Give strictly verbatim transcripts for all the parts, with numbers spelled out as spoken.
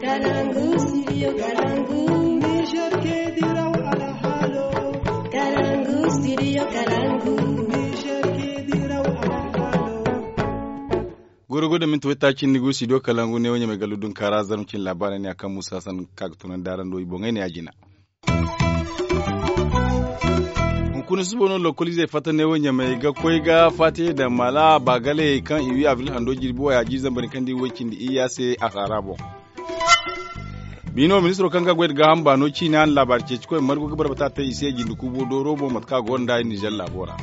Kalangu, studio Kalangu. Niger ke diraw alhalo. Kalangu, studio Kalangu. Niger ke diraw alhalo. Goro goro da minti waytaaci ni go studio Kalangu ne wo ɲamay gallu dunkaara zarma cin laabaarey ne a kaŋ musa san ka ga tunandi araŋ do i boŋey ne a jina. Hunkuna suba no lokoliizey fatta ne wo ɲamay ga koy ga faatiyey daŋ maala baagaley kaŋ i wi abril hando jirbi waya jiiri zambar kaŋ di way cindi iyya se a saara boŋ. Biino ministiro kaŋ ga goy da gaaham baano ciina na laabaari ceeci koy margu ga barbata te i se jindi kuubo dooro boŋ mate kaŋ a go nda nizer laabo ra.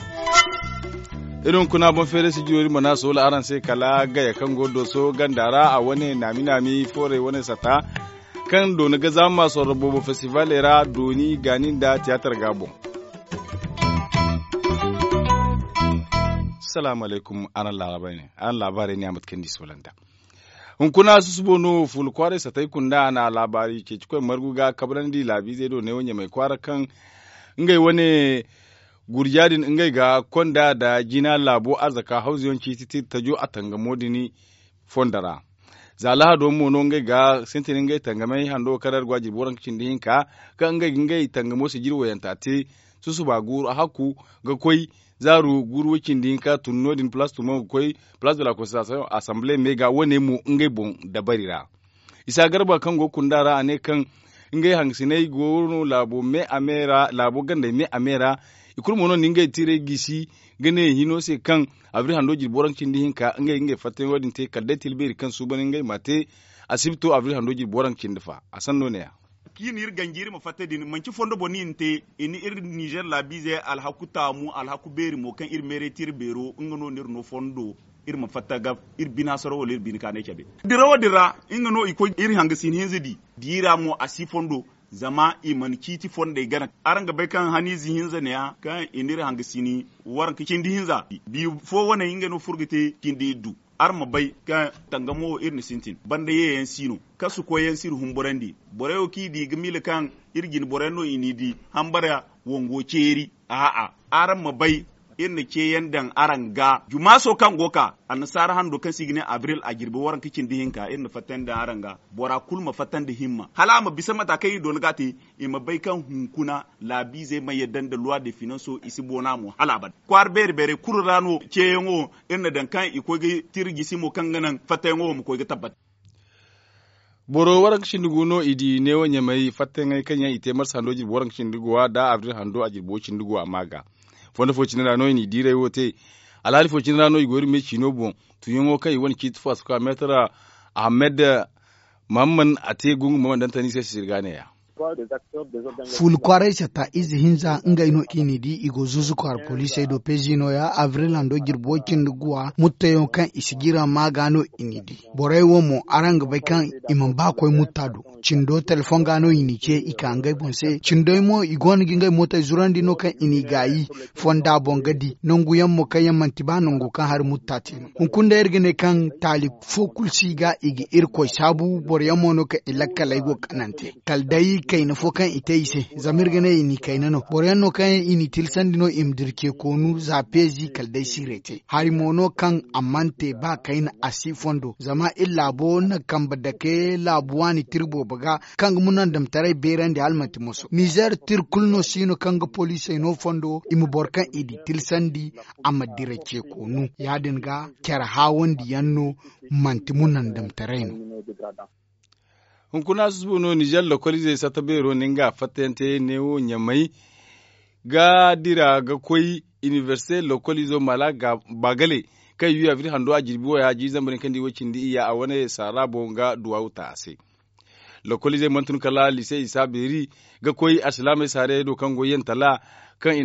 Iri hunkuna boŋ feere sijiro iri mana soola araŋ se kala gaya kaŋ go dooso ganda ra a wane naami naami foorey wane sata kaŋ dooni ga zaama sorro boobo festivaley ra dooni gaani nda tiyaatar ga boŋ. Salaamu alaykum. Araŋ laabaarey ne a mate kaŋ ni solanda. Hunkuna susubo no fuula kwaaray satay kunda a na laabaari ceeci koy margu ga kabrandi laabiizey do neewo ɲamay kwaara kaŋ ngey wane gurja din ngey ga konda nda jina laabo arzaka hawzuyaŋ ciiti tajo a tangamo din fondo ra. Za lahado mo no ngey ga sintin ngey tangamey hando kaŋ ra iri go a jirbi waranka cindi hinka kaŋ ngey ga ngey tangamo sijiri wayanta te susuba guuru a hakku ga koy zaaru guuru way cindi hinka tun no- din place tumo ga koy place de la constitution assemblee me ga wane mo ngey boŋ dabari ra. Isa garba kaŋ go kunda ra a ne kaŋ ngey hangasiney go no laabo me a me ra laabo gandey me a me ra i kulu mo no na ngey tiirey gisi ga ne hino se kaŋ abri hando jirbi waranka cindi hinka ngey ga ngey fattayaŋo din te kala day tila beeri kaŋ suuban ngey ma te asibto abri hando jirbi waranka cindi fa a sanno ne- ya. Kaŋ i na iri ganji iri ma fatta din manci fondo boŋ no i na te i na iri nizer laabiize alhaku taamu alhaku beeri mo kaŋ iri meeray te iri beero nga no no iri no fondo iri ma fatta ga iri bine hasaro wala iri bine kaanay cabe. Dirawo din ra nga no i koy iri hangasin hinza di diira mo a si fondo zama i mana ciiti fondey gana. Araŋ ga bay kaŋ haniize hinza ne- ya kaŋ i na iri hangasini waranka cindi hinza biyo fo wane nga no furo ga te cindi iddu. Araŋ ma bay kaŋ tangamo wo iri na sintin banda yeeyaŋ si no kasu koyyaŋ si iri humburandi. Borey wo kaŋ i di ga miila kaŋ iri jine boroyaŋ no i n'i di hambara wango ceeri. A'a, araŋ ma bay iri na ceeyaŋ daŋ araŋ ga jumaaso kaŋ go ka annasaara hando kaŋ se i ga ne abril a jirbi waranka cindi hinka iri na fattandi daŋ araŋ ga. Bora kulu ma fattandi himma hala a ma bisa mata kaŋ iri doona ga a te i ma bay kaŋ hunkuna laabiizey ma yadda nda luwa de finanso i si boona mo hala abada kwaara beeri beerey kulu ra no ceeyaŋo iri na daŋ kaŋ i koy ga tira jisi mo kaŋ ga naŋ fattayaŋo wo ma koy ga tabbata. Boro waranka cindi gu no i di neewo ɲamay fattayaŋey kaŋ yaŋ i te marsa hando jirbi waranka cindi guwa nda abril hando a jirbi wo cindi guwa ma ga. Fondo fo cine ra no i n'i diiray wo te. Alhaali fo cine ra no i go iri me ciino boŋ. Tuuyaŋo kaŋ i wane ciiti fo a si koy a meetara ahamed mahamman a te gungu mahamman dantani se sisiri ga ne- ya. Fuula kwaaray satta ize hinza ngey no i n'i di i go zuuzu kwaara poliisey do peezi no- ya abril hando jirbi way cindi guwa muttayaŋo kaŋ i si jira ma ga no i n'i di. Borey wo mo araŋ ga bay kaŋ i mana ba koy mutta do. Cindo telefoŋ ga no i n'i ce i ka ngey boŋ se cindey mo i go no ga ngey mootey zurandi no kaŋ i n'i gaayi fonda boŋ ga di nangu yaŋ mo kaŋ yaŋ manti ba nango kaŋ hari mutta te no. Hunkuna day iri ga ne kaŋ taali fo kulu si ga i ga irkoy saabu boro yaŋ mo no kaŋ i lakkaley go kanante kala day kayna fo kaŋ i te i se. Zama iri ga ne i n'i kayna no boro yaŋ no kaŋ i n'i tilsandi no i ma dira ce koonu za peezi kala day siirey te hari mo no kaŋ a mana te ba kayna a si fondo zama iri laabo na kambe dake laabu waani tira boobo ga kaŋ ga munandamtaray beerandi hala manti moso nizer tira kulu no si no kaŋ ga poliisey no fondo i ma boro kaŋ i di tilsandi a ma dira ce koonu ya- din ga care haawandiyaŋ no manti munandamtaray no. Hunkuna susubo no nizer lokoliizey satta beero na nga fattayaŋ te neewo ɲamay ga dira ga koy inibersite lokoliizo mala baagale kaŋ i wi abri hando a jirbi waya jiiri zambar yaŋ kaŋ di way cindi iyya a wane saara boŋ ga duwaawu ta a se. Lokoliizey mana tun kala lise isa beeri ga koy alsilaamey saarayey do kaŋ go yantala kaŋ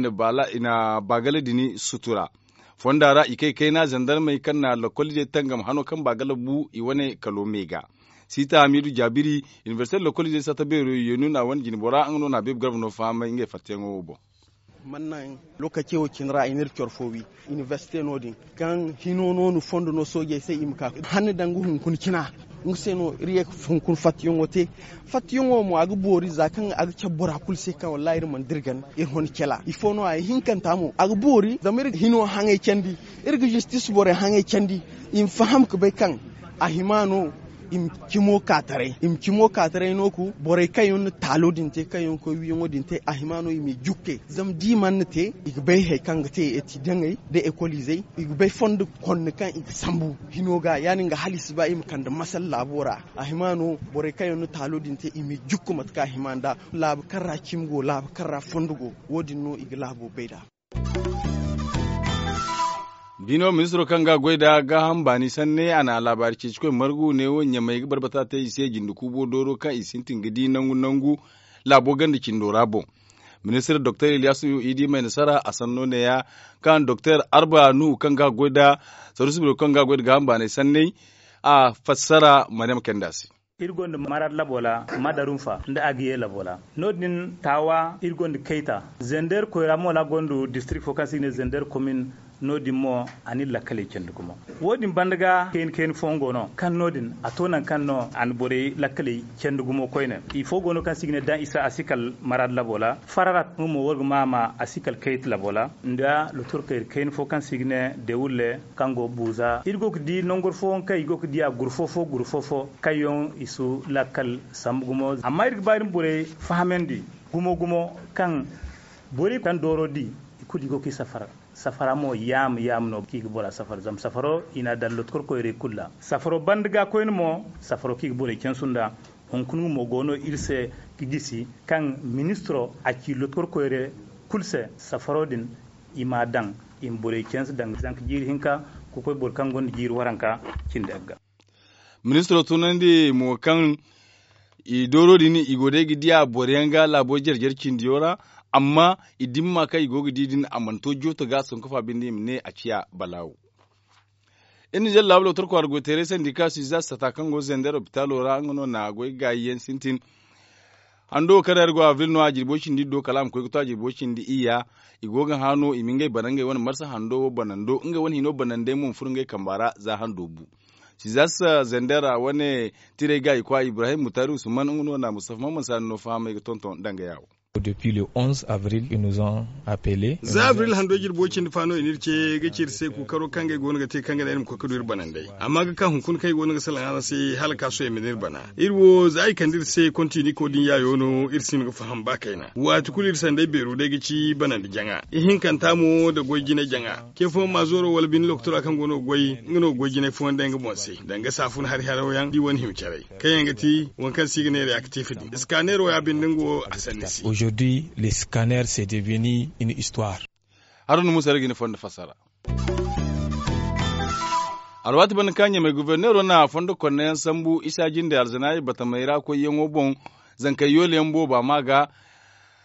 i na baagale din sutura fonda ra i kay kayna zandarmey kaŋ na lokoliizey tangam hano kaŋ baagale bu i wane kalo me ga. Siita hamiidu jaabiri inibersite lokoliizey satta beero yeenun a wane jinbora nga no na a beebu garba no fahamay ngey fattayaŋo wo boŋ. Mana naŋ lookaci wo cine ra i n'iri coro fo wi inibersite no- din kaŋ hino no ni fondo no soojey se i ma ka hanni daŋ ga hunkuna cina. Nga se no iri ye ga hunkuna fattiyaŋo te fattiyaŋo mo a ga boori za kaŋ a ga cabe bora kulu se kaŋ wallaahi iri mana dira ganda iri hona cala ifo no a ye hinkanta mo a ga boori zama iri ga hino haŋay candi iri ga zistis borey haŋay candi i ma faham ga bay kaŋ a hima no. I ma cimo ka taray i ma cimo ka taray no ku borey kaŋ yaŋ na taalo din te kaŋ yaŋ ga koy wiyaŋo din te a hima no i m'i jukke zama da i mana te i ga bay hari kaŋ ga te eti daŋey nda ekoliizey i ga bay fondo konna kaŋ i ga sambu hino ga ya- din ga hala i si ba i ma kande masala laabo ra. A hima no borey kaŋ yaŋ na taalo din te i m'i jukku mate kaŋ a hima nd'a laabu kaŋ ra cimi go laabu kaŋ ra fondo go. Wo- din no i ga laabo bay nd'a. Bino ministiro kaŋ ga a goy nda gaaham baani sanne a na laabaari ceecikoy margu ne wo ɲamey ga barbata te i se jinde kuubo dooro kaŋ i sintin ga di nangu nangu laabo ganda cindo ra boŋ. Ministir doktor iliyaasu idi may nasara a sanno neeya kaŋ doktor arba nuhu kaŋ ga a goy nda saruusi biro kaŋ ga a goy nda gaaham baanay sanney a fassara maryam kayndi a se. Iri gonda maraad labo ra madarunfa nda agiye labo ra no- din taawa iri gonda kayta zender koyra mo ra gonda distirik fo kaŋ se i ga ne zender komin. No- din mo a na iri lakkaley candi gumo wo- din banda ga kayna kayna fooyaŋ go no kaŋ no- din a to nangu kaŋ no a na borey lakkaley candi gumo koyne. Ifo go no kaŋ se i ga ne daŋ isa a si kala maraad labo ra fararat nga mo war ga ma a ma a si kala kayta labo ra nda lotorkayra kayna fo kaŋ se i ga ne dewulle kaŋ go buuza iri go ga di nangor fooyaŋ kaŋ i go ga di a gurfo fo gurfo fo kaŋ yaŋ i si lakkal sambu gumo. Amma iri ga ba iri ma borey fahamandi gumo gumo kaŋ borey kaŋ dooro di i kulu i go ga i safara. Safara mo yaama yaama no kaŋ i ga bora safara zama safaro i n'a daŋ lotokorkoyrey kulu ra. Safaro banda ga koyne mo safaro kaŋ i ga borey cansu nd'a. Hunkuna nga mo go no iri se ga gisi kaŋ ministiro a ci lotokorkoyre kulu se safaro din i m'a daŋ i ma borey canse danga zanka jiiri hinka ga koy boro kaŋ gonda jiiri waranka cindi agga. Ministiro tunandi mo kaŋ i dooro din i go day ga diya boro yaŋ ga laabo jare jare cindiyo ra. Amma i dimma kaŋ i go ga di din a mana to jooto ga a sanku fa binde i ma ne a ciya balaawo. Iri na jalla laabo lotor kwaara goy teeray sandi kaŋ si za sata kaŋ go zender opitalo ra nga no na goy gaayi yaŋ sintin. Hando wo kaŋ ra iri go avril no a jirbo cindi do kala a ma koy ga to a jirbo cindi iyya. I go ga hã no i ma ngey bana ngey wane marsa hando wo banando ngey wane hino banandey mo ma furo ngey kamba ra za hando bu. Sizas zender ra wane tiray ga i kwa ibrahim mutari usman nga no na mustafa mamman sani no fahamay ga tonton danga yawo. Depuis le onze avril ils nous ont appelé. Za avril hando jirbo cindi fa no i n'iri ce ga ci iri se ku karo kaŋ ga i go no ga te kaŋ ga ne iri ma koy ga du iri banandey. Amma ga ka hunkuna kaŋ i go no ga salaŋ araŋ se hala ka sohõ i ma ne iri bana. Iri wo za i kande iri se kontiniko din yaayo no iri si hin ga faham ba kayna waati kulu iri sanday beero day ga ci banandi jaŋa ihinkanta mo nda goy jine jaŋa. Ce fooyaŋ ma zooro wala bine lokotora kaŋ go no ga goy nga no ga goy jinay fooyaŋ day nga boŋ se danga saafun hari haraw yaŋ da i wane hima caray kaŋ yaŋ ga ti waŋ kaŋ se i ga ne reaktif din iskaneero ya binde nga wo a sanni se. Aujourd'hui le scanner se devenu une histoire. Haruna musa ra ga ni fondo fassara. Alwaati banda kaŋ ɲamay goforneero na fondo konneyaŋ sambu isa jinde alzanaayi batamey ra koyyaŋo boŋ. Zankey yoole yaŋ booba ma ga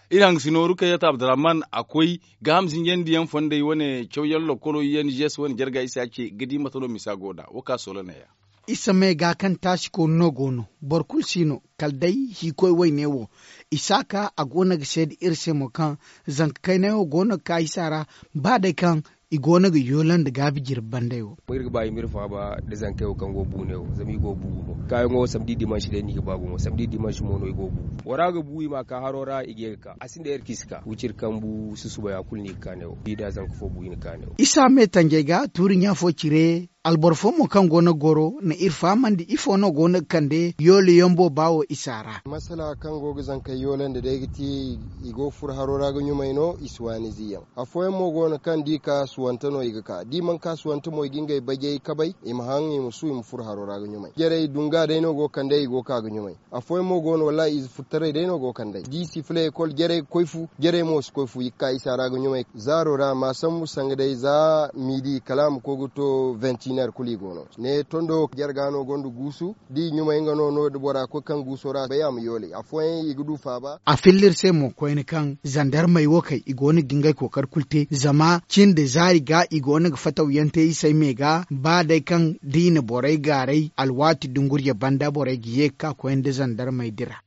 iri hangasino rukayat abdurrahman a koy gaaham zinjandiyaŋ fondey wane cawyaŋ lokolo yaŋ jes wane jarga isa ce ga di mate no misa go nd'a wo ka soola neeya. Isa me ga kaŋ taasi koonu no go no boro kulu si no kala day hiikoy wayne wo. Isaaka a go no ga seeda iri se mo kaŋ zanka kaynay wo go no ga ka isa ra ba day kaŋ i go no ga yoolandi gaabi jirbi banday wo. Iri ga ba i ma iri faaba nda zankey wo kaŋ go buuney wo zama i go buubu mo kaayaŋo wo samdi dimansi day no i ga ba gumo samdi dimansi mo no i go buubu bora ga bu i ma a ka haro ra i ga ye ga ka a sinda iri kaŋ i si ka wiciri kambu susubay a kulu no i ga ka ne wo i da zanka fo bu i na ka ne wo. Isa me tanjey ga tuuri ɲa fo cire. Alboro fo mo kaŋ go no ga goro na iri fahamandi ifo no go no ga kande yoole yaŋ booba wo isa ra. Masala kaŋ go ga zankey yoole nda day ga ti i go ga furo haro ra ga ɲumay no i si waani ziyaŋ. Afooyaŋ mo go no kaŋ da i ka suwante no i ga ka da i mana ka suwante mo i ga ngey bajey kabay i ma haŋ i ma su i ma furo haro ra ga ɲumay jarey dunga day no go ga kande i go ga ka ga ɲumay. Afooyaŋ mo go no wallaahi ize furtaray day no go ga kand'ey da i si fila ekol jarey ga koy fu jarey mo si koy fu i ga ka isa ra ga ɲumay zaaro ra ma sambu sanga day za miidi kala a ma koy ga to ventiner kulu i go no. Ne tondo jarga no gonda guusu da i ɲumay nga no no da bora koy kaŋ guuso ra bay a ma yoolay afooyaŋ i ga du faaba. A filla iri se mo koyne kaŋ zandarmey wo kay i go no ga ngey kookari kulu te zama cin da zaari ga i go no ga fataw yaŋ te isey me ga ba day kaŋ da i na borey gaaray alwaati dungurje banda borey ga ye ga ka koyne nda zandarmey dira.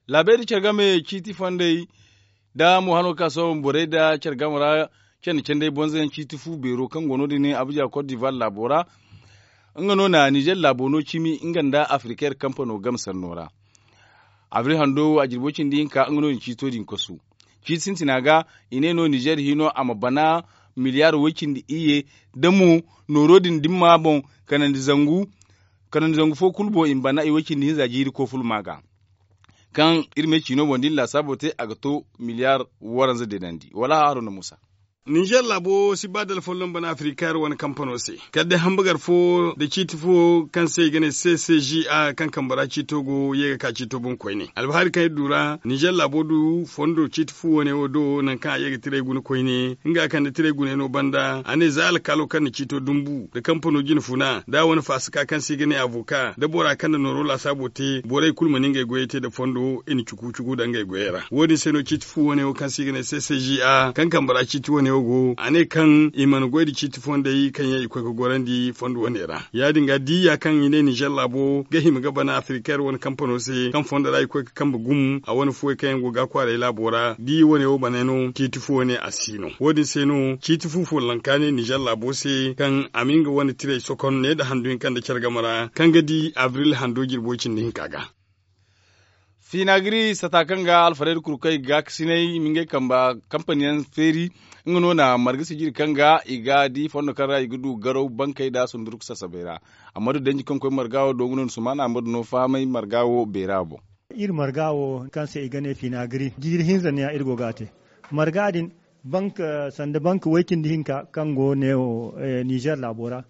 Laabey nda care game ciiti fondey nda mo hano ga ka sooba ma borey nda care game ra candi candey bonzoyaŋ ciiti fu beero kaŋ go no- din abuja kot divar laabo ra. Nga no na nizer laabo no cimi nga nda afrikair kampano game sanno ra. Abril hando a jirbo cindi hinka nga no din ciito din kasu ciiti sintina ga i ne no nizer hino a ma bana miliyar way cindi iyye da mo nooro din dimma boŋ kanandi zangu. Kanandi zangu fo kulu boŋ i ma bana i way cindi hinza jiiri kooful ma ga. Kaŋ iri ma ay ciino boŋ da iri laasaabo te a ga to miliyaar waranza deenandi wala haaro nda muusa. Ninzeer laabo si ba da alfolloŋ bana afirika iri wane kampano se kala day hambagar fo nda ciiti fo kaŋ se i ga ne c c g a kaŋ kambe ra ciito go ye ga ka ciito boŋ koyne albahaari kaŋ iri du ra ninzeer laabo du fondo ciiti fu wane wo do nangu kaŋ a ye ga tiray guna koyne nga kande tiray guna yaŋo banda a ne za alkaalo kaŋ na ciito dumbu nda kampano jine funa da a wane faasaka kaŋ se i ga ne avoka nda bora kaŋ na nooro laasaabo te borey kulu mana ngey goyey te nda fondo i na cuku cuku daŋ ngey goyey ra wo- din se no ciiti fu wane wo kaŋ se i ga ne c c g a kaŋ kambe ra ciiti wane wo go a ne kaŋ i mana goy nda ciiti fondey kaŋ yaŋ i koy ga gorandi fondo wane ra ya- din ga diya kaŋ i ne ninzeer laabo ga hima ga bana afirika iri wane kampano se kaŋ fondo ra i koy ga kambe gumo a wane fuwey kaŋ yaŋ go ga a kwaaray laabo ra da i wane wo bana no ciiti fu wane a si no wo- din se no ciiti fu follanka ne ninzeer laabo se kaŋ a ma nga wane tiray sokon ne nda handu hinka nda care game ra kaŋ ga di abril hando jirbo cindi hinka ga. Fiinagiri sata kaŋ ga alfarayda kurkey gaakasinay i ma ngey kamba kampani yaŋ feeri nga no na marga sijiri kaŋ ga i ga di fondo kaŋ ra i ga du garaw bankey nda sundurku sasabay ra. Amma du danji kaŋ koy marga wo do nga no ni sumaana amma du no fahamay marga wo beera boŋ. Iri marga wo kaŋ se i ga ne fiinagiri jiiri hinza ne ya iri go ga a te marga din bank sanda bank way- cindi hinka kaŋ go neewo ninzeer laabo ra.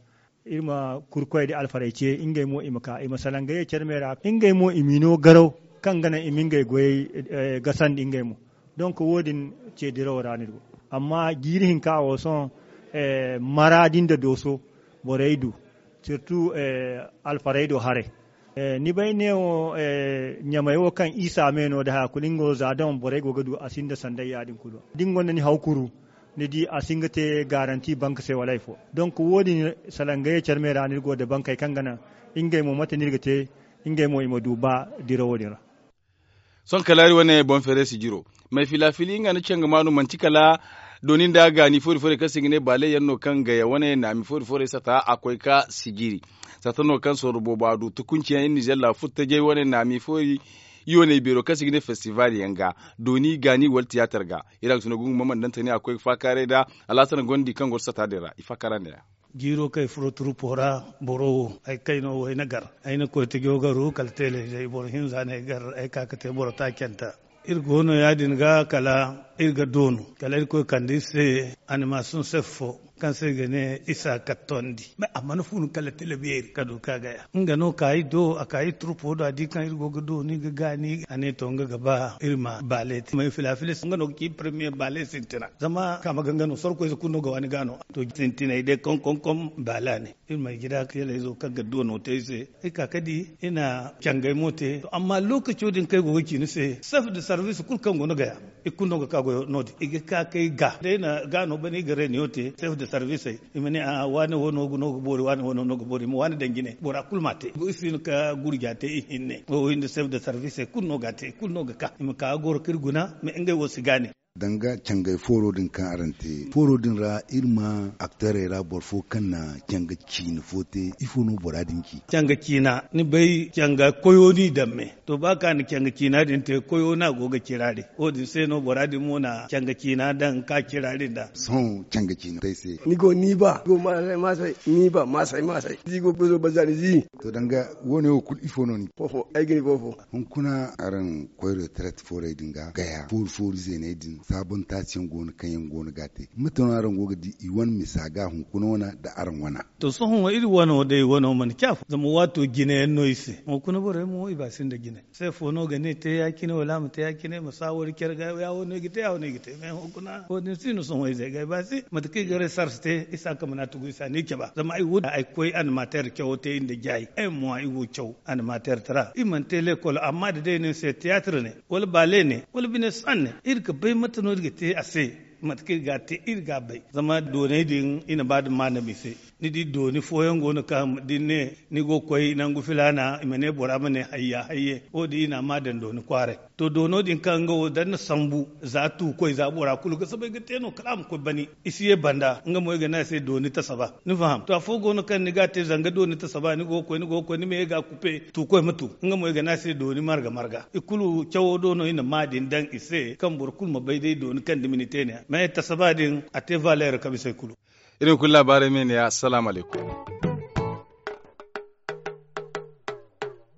Iri ma kurkoy da alfarey ce ngey mo i ma ka i ma salaŋ ga ye care me ra ngey mo i m'i no garaw kaŋ ga naŋ i ma ngey goyey gasandi ngey mo. Donk wo- din ce dirawo ra no iri go amma jiiri hinka wo sohõ mara din da dooso borey du sirtu alfarey do haray. Ni bay neewo ɲamey wo kaŋ isa me no da haya kulu nga wo za daŋ borey go ga du a sinda sanday ya- din kulu da ni gonda ni haw kuru ni di a si hin ga te garanti bank se wala hari fo. Donk wo- din salaŋ ga ye care me ra no iri go nda bankey kaŋ ga naŋ ngey mo mate no iri ga te ngey mo i ma du ba dirawo din ra. Sohõ kala iri wane boŋ feeray sijiro may fila fili nga nda canga maanu manti kala dooni nda gaani foori fooray kaŋ se i ga ne baale yaŋ no kaŋ gaya wane naami foori fooray sata a koy ka sijiri. Sata no kaŋ sorro boobo a du tukunci yaŋ iri nizeer laabu furtajey wane naami foori. Iwaney beero kaŋ se i ga ne festival yaŋ ga dooni gaani wala tiyaatar ga. Iri a ga si no gungu ma mandantani a ga koy ga faakaaray nda alhasan gondi kaŋ goro sata din ra i faakaara nda ya. Jiiro kaŋ ay furo turupo ra boro wo ay kayno wo ay na gar ay na koy tajo garu kala teeley day boro hinza no ay gar ay ka ga te boro taacanta. Iri go no ya- din ga kala iri ga doonu kala iri koy kande iri se animasoŋ sef fo kaŋ se i ga ne isa kattondi. A mana funu kala tele beeri ka du ka gaya nga no ka iri do a ka iri turpo do a di kaŋ iri go ga dooni ga gaani a ne to nga ga ba iri ma baale te may fila fila nga no ga ci premier baale sintina zama kaama ga nga no sorkoyze kulu no ga waani ga no. To sintinay day kom kom kom baale a ne iri ma ay jira ka yala izo kaŋ ga dono te iri se iri ka ka di iri na cangay mo te to amma lokaco din kaŋ ay go ga ci ni se sef de sarbiisi kulu kaŋ go no gaya. I kulu no ga ka goyo no- din i ga ka kay ga day na ga no bane i ga reniyo te sef de sarbiisey. I ma ne a waane wo no ga boori waane wo no ga boori i ma waane daŋ jine bora kulu ma a te i si hin ka gurja te i hinne wo wo hinne sef de sarbiisey kulu no ga a te i kulu no ga ka i ma ka ga goro kaŋ iri guna. Mais ngey wo si gaani. Danga cangay fooro din kaŋ araŋ te fooro din ra iri ma aktarey ra boro fo kaŋ na canga ciina fo te ifo no bora din ci? Canga ciina ni bay canga koyo no i daŋ me. To ba kaŋ a na canga ciina din te koyo no a go ga cira din wo- din se no bora din mo na canga ciina daŋ ka cira din da. Sohõ canga ciina te ay se. Ni go ni ba ni go maasay maasay ni ba maasay maasay ni go gozo banza ni zi. To danga wo- ne wo kulu ifo no ni ci? Foofo ay ga ni foofo. Hunkuna araŋ koy retraite foorey din ga gaya foori foori zeeney din saabon taasi yaŋ go no kaŋ yaŋ go no ga a te mate no araŋ go ga di i wane misa ga hunkuna wana nda araŋ wana? To sohõ wo iri wano day wano mana ci afo zama waato jine yaŋ no i se hunkuna borey mo i ba sinda jine. Se fo no ga ne te ya- cine wala a ma te ya- cine ma saawari care ga ya wo no i ga te ya wo no i ga te mais hunkuna wo- din si no sohõ izey ga i ba si mate kaŋ i ga resars te i si a kamana tugu i si a ni caba zama ay wo ay koy animateer cawo te i nda jaayi ay mo i go caw animateer tara i mana te lekol amma da day no ni se tiyaatir ne wala baale ne wala bine san ne iri ga bay mate no iri ga te a se. Mate kaŋ iri ga a te iri ga a bay zama doonay din i na ba da maanam i se. Ni di dooni fooyaŋ go no kaŋ da ni ne ni go ga koy nangu filaana i ma ne bora ma ne hayya hayye wo- din i na a ma daŋ dooni kwaaray. To doono din kaŋ nga wo da ni na sambu za tuukoy za bora kulu ga soobay ga te no kala a ma koy bani i si ye banda nga mo i ga ne a se dooni tasaba. Ni faham to afo go no kaŋ ni ga a te zanga dooni tasaba ni go ga koy ni ma ye ga a kupe tuukoy ma tu nga mo i ga ne a se dooni marga marga i kulu cawo do no i na ma din daŋ i se kaŋ boro kulu ma bay day dooni kaŋ dumi ni te ne ya mais tasaba din a te valeer kaŋ bisa i kulu. Iri ma kulu laabaarey me ne ya assalamu alaykum.